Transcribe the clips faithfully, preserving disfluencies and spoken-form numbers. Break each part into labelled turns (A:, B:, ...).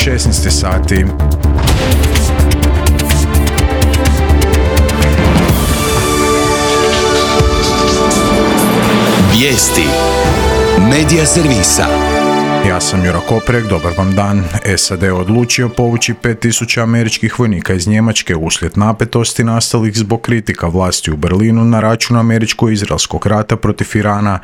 A: šesnaest sati.
B: Vijesti Medija servisa.
A: Ja sam Jura Koprek, dobar vam dan. S A D odlučio povući pet tisuća američkih vojnika iz Njemačke uslijed napetosti nastalih zbog kritika vlasti u Berlinu na račun američko-izraelskog rata protiv Irana.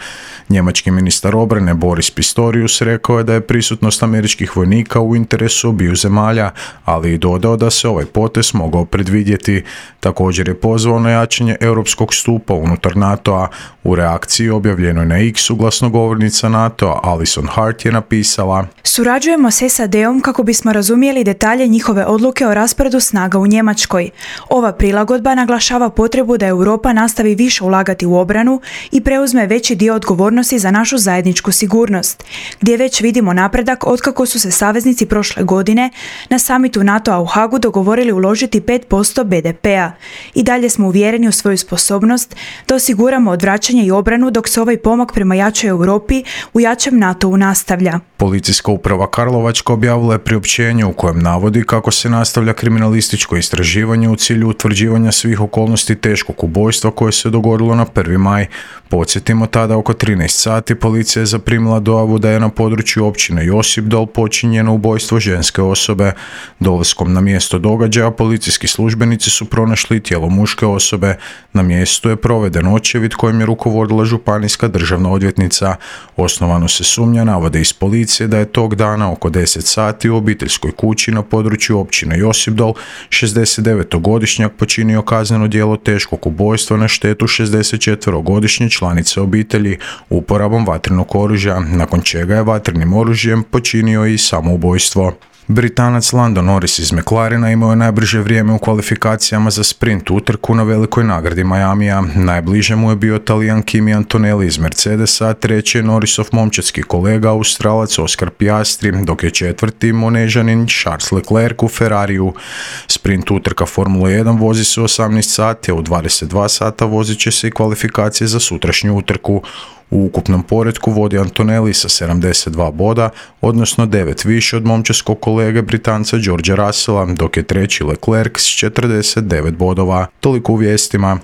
A: Njemački ministar obrane Boris Pistorius rekao je da je prisutnost američkih vojnika u interesu obiju zemalja, ali i dodao da se ovaj potez mogao predvidjeti. Također je pozvao na jačanje europskog stupa unutar NATO-a. U reakciji objavljenoj na X-u glasnogovornica NATO-a Alison Hart je napisala:
C: Surađujemo s S A D-om kako bismo razumjeli detalje njihove odluke o rasporedu snaga u Njemačkoj. Ova prilagodba naglašava potrebu da Europa nastavi više ulagati u obranu i preuzme veći dio odgovornosti za našu zajedničku sigurnost, gdje već vidimo napredak otkako su se saveznici prošle godine na samitu NATO-a u Hagu dogovorili uložiti pet posto B D P-a. I dalje smo uvjereni u svoju sposobnost da osiguramo odvraćanje i obranu dok se ovaj pomak prema jačoj Europi u jačem NATO-u nastavlja.
A: Policijska uprava Karlovačka objavila je priopćenje u kojem navodi kako se nastavlja kriminalističko istraživanje u cilju utvrđivanja svih okolnosti teškog ubojstva koje se dogodilo na prvi maj. Podsjetimo, tada oko trinaest sati policija je zaprimila dojavu da je na području općine Josipdol počinjeno ubojstvo ženske osobe. Dolaskom na mjesto događaja policijski službenici su pronašli tijelo muške osobe. Na mjestu je proveden očevid kojim je rukovodila županijska državna odvjetnica. Osnovano se sumnja, navode iz policije, da je tog dana oko deset sati u obiteljskoj kući na području općine Josipdol šezdesetdevetogodišnjak počinio kazneno djelo teškog ubojstva na štetu šezdesetčetverogodišnje članice obitelji uporabom vatrenog oružja, nakon čega je vatrenim oružjem počinio i samoubojstvo. Britanac Lando Norris iz McLarena imao je najbrže vrijeme u kvalifikacijama za sprint utrku na velikoj nagradi Miamija. Najbliže mu je bio Talijan Kimi Antonelli iz Mercedesa, treći je Norrisov momčadski kolega Australac Oscar Piastri, dok je četvrti Monežanin Charles Leclerc u Ferrariju. Sprint utrka Formule jedan vozi se u osamnaest sati, a u dvadeset dva sata vozit će se i kvalifikacije za sutrašnju utrku. U ukupnom poretku vodi Antonelli sa sedamdeset dva boda, odnosno devet više od momčadskog kolege Britanca Georgea Russella, dok je treći Leclerc s četrdeset devet bodova. Toliko u vijestima.